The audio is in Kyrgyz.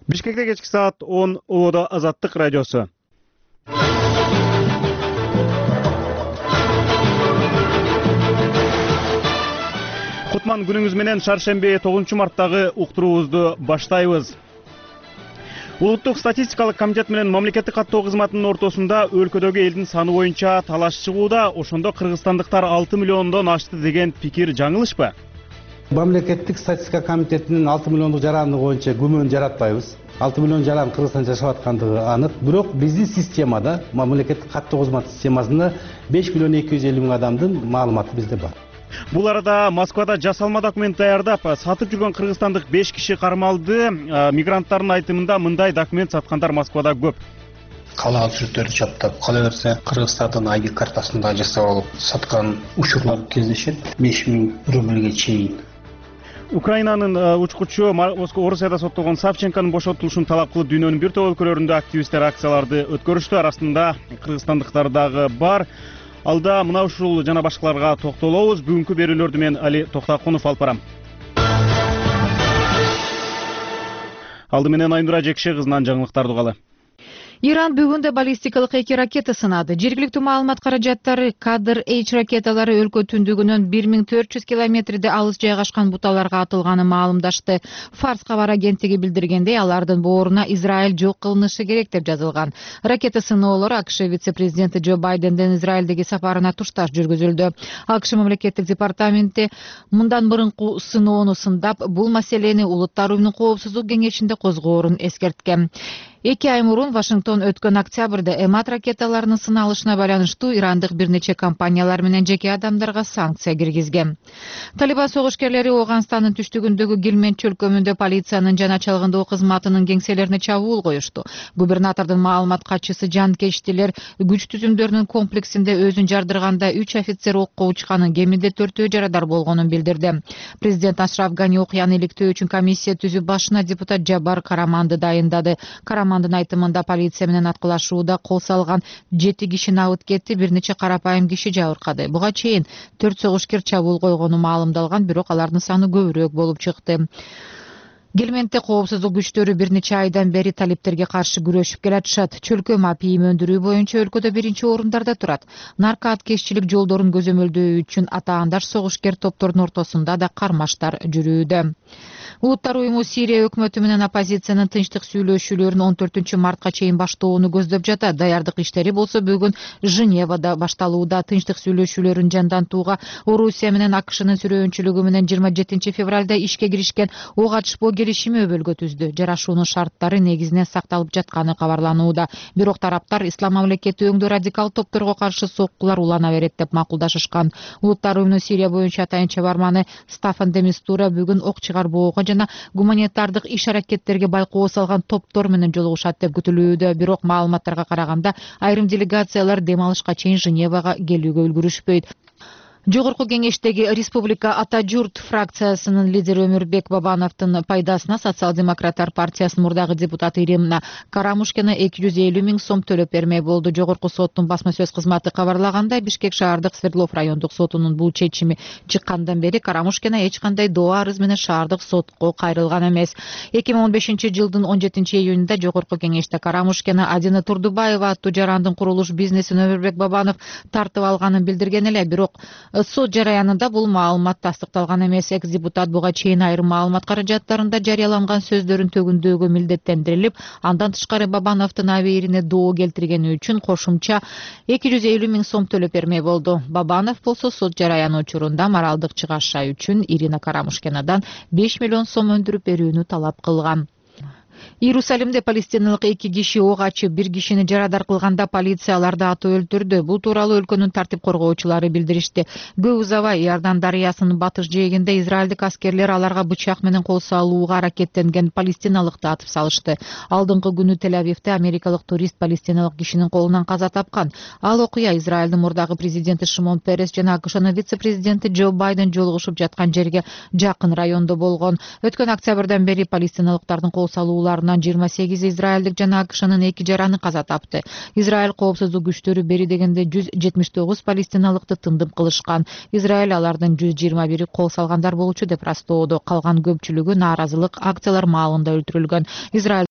Бишкекте кечки саат 10 Улуудо Азаттык радиосу. Кутман күнүңүз менен шаршемби 9-марттагы уктуруубузду баштайбыз. Улуттук статистикалык комитет менен мамлекеттик каттоо кызматынын ортосунда өлкөдөгү элдин саны боюнча талаш чыгууда. Ошондо кыргызстандыктар 6 миллиондон ашты деген пикир жаңылышпы? Мамлекеттик статистика комитетинин 6 миллиондук жараны боюнча күмөн жаратпайбыз. 6 миллион жаран Кыргызстанда жашап аткандыгы анык. Бирок биздин системада, мамлекеттик каттоо кызматы системасында 5 миллион 250 миң адамдын маалыматы бизде бар. Бул арада Москвада жасалма документ даярдап сатып жүргөн кыргызстандык 5 киши кармалды. Мигранттардын айтымында мындай документ саткандар Москвада көп. Калаал сүрөттөрдү чаптап, кала берсе Кыргызстандын ID картасында жасап алып саткан учурлар кездешет. 5 миң рубльге чейин. Украинанын учкучу Орусияда соттолгон Савченконун бошотулушун талап кылып дүйнөнүн бир топ өлкөлөрүндө активисттер акцияларды өткөрүштү. Арасында кыргызстандыктар дагы бар. Алда мына ушул жана башкаларга токтолобуз. Бүгүнкү берүүлөрдү мен Али Токтакунов алып барам. Алды менен Айнура Жекше кызынан жаңылыктарды угалы. Иран бүгүн да баллистикалык 2 ракета сынады. Жергиликтүү маалымат каражаттары Кадр-H ракеталары өлкө түндүгүнөн 1400 километрде алыс жайгашкан буталарга атылганын маалымдашты. Фарс кабар агенттиги билдиргендей, алардын бооруна Израиль жок кылынышы керек деп жазылган. Ракета сыноолору АКШ вице-президенти Джо Байдендин Израилдеги сапарына тушташ жүргүзүлдү. АКШ мамлекеттик департаменти мындан мурунку сыноону сындап, бул маселени Улуттар уюмунун коопсуздук кеңешинде козгоорун эскерткен. 2 ай мурун Вашингтон өткөн октябрда Эмат ракеталарынын сыналышына байланыштуу ирандык бир нече компаниялар менен жеке адамдарга санкция киргизген. Талибан согушкерлери Ооганстандын түштүгүндөгү Гилмент чөлкөмүндө полициянын жана чалгындоо кызматынын кеңселерине чабуул коюшту. Губернатордун маалымат катчысы жанкечтилер күч түзүмдөрүнүн комплексинде өзүн жардырганда 3 офицер окко учканын, кеминде 4-өө жарадар болгонун билдирди. Президент Ашраф Гани окуяны иликтөө үчүн комиссия түзүп, башына депутат Жабар Караманды дайындады. Карамандын айтымында полиция менен аткылашууда кол салган 7 кишини абыт кетти, бир нече карапайым киши жабыркады. Буга чейин 4 согушкер чабуул койгону маалымдалган, бирок алардын саны көбүрөөк болуп чыкты. Гилментте коопсуздук күчтөрү бир нече айдан бери талиптерге каршы күрөшүп келатышат. Чөлкөм апийим өндүрүү боюнча өлкөдө 1-чи орундарда турат. Наркооткеччилик жолдорун көзөмөлдөө үчүн атаандаш согушкер топтордун ортосунда да кармаштар жүрүүдө. Улуттар уюму Сирия өкмөтү менен оппозициянын тынчтык сүйлөшүүлөрүн 14-мартка чейин баштоону көздөп жатат. Даярдык иштери болсо бүгүн Женевада башталууда. Тынчтык сүйлөшүүлөрүн жандантууга Орусия менен АКШнын сүрөөнчүлүгү менен 27-февралда ишке киришкен ок атышпоо келишими өбөлгө түздү. Жарашуунун шарттары негизинен сакталып жатканы кабарланууда. Бирок тараптар ислам мамлекети өңдүү радикал топторго каршы соккулар улана берет деп макулдашышкан. Улуттар уюмунун Сирия боюнча атайынча барманы Стафан де Мистура бүгүн ок чыгарбоого жана гуманитардык иш-аракеттерге байкоо салган топтор менен жолугушат деп күтүлүүдө. Бирок маалыматтарга караганда айрым делегациялар дем алышка чейин Женевага келүүгө үлгүрүшпөйт. Жогорку кеңештеги Республика Ата журт фракциясынын лидери Өмүрбек Бабановдун пайдасына Социал-демократтар партиясынын мурдагы депутаты Ирина Карамушкина 250 миң сом төлөп бермей болду. Жогорку соттун басма сөз кызматы кабарлагандай, Бишкек шаардык Свердлов райондук сотунун бул чечими чыккандан бери Карамушкина эч кандай доо арыз менен шаардык сотко кайрылган эмес. 2015-жылдын 17-июнунда Жогорку кеңеште Карамушкина Адина Турдубаева аттуу жарандын курулуш бизнесин Өмүрбек Бабанов тартып алганын билдирген эле. Бирок сот жараянында бул маалымат тастыкталган эмес. Экс-депутат буга чейин айрым маалымат каражаттарында жарыяланган сөздөрүн төгүндөөгө милдеттендирилип, андан тышкары Бабановдун абийирине доо келтиргени үчүн кошумча 250 миң сом төлөп бермей болду. Бабанов болсо сот жараяны учурунда моралдык чыгаша үчүн Ирина Карамушкинадан 5 миллион сом өндүрүп берүүнү талап кылган. Иерусалимде палестиналык 2 киши ок ачып, 1 кишини жарадар кылганда полиция аларды атып өлтүрдү. Бул тууралуу өлкөнүн тартип коргоочулары билдиришти. Көп узабай Иордан дарыясынын батыш жээгинде израилдик аскерлер аларга бычак менен кол салууга аракеттенген палестиналыкты атып салышты. Алдыңкы күнү Тель-Авивде америкалык турист палестиналык кишинин колунан каза тапкан. Ал окуя Израилдин мурдагы президенти Шимон Перес жана АКШнын вице-президенти Джо Байден жолугушуп жаткан жерге жакын райондо болгон. Өткөн октябрдан бери палестиналыктардын кол салууларынан 28 израилдик жана АКШнын 2 жараны каза тапты. Израиль коопсуздук күчтөрү бери дегенде 179 палестиналыкты тындым кылышкан. Израиль алардын 121 кол салгандар болчу деп растоодо. Калган көпчүлүгү нааразылык акциялар маалында өлтүрүлгөн. Израиль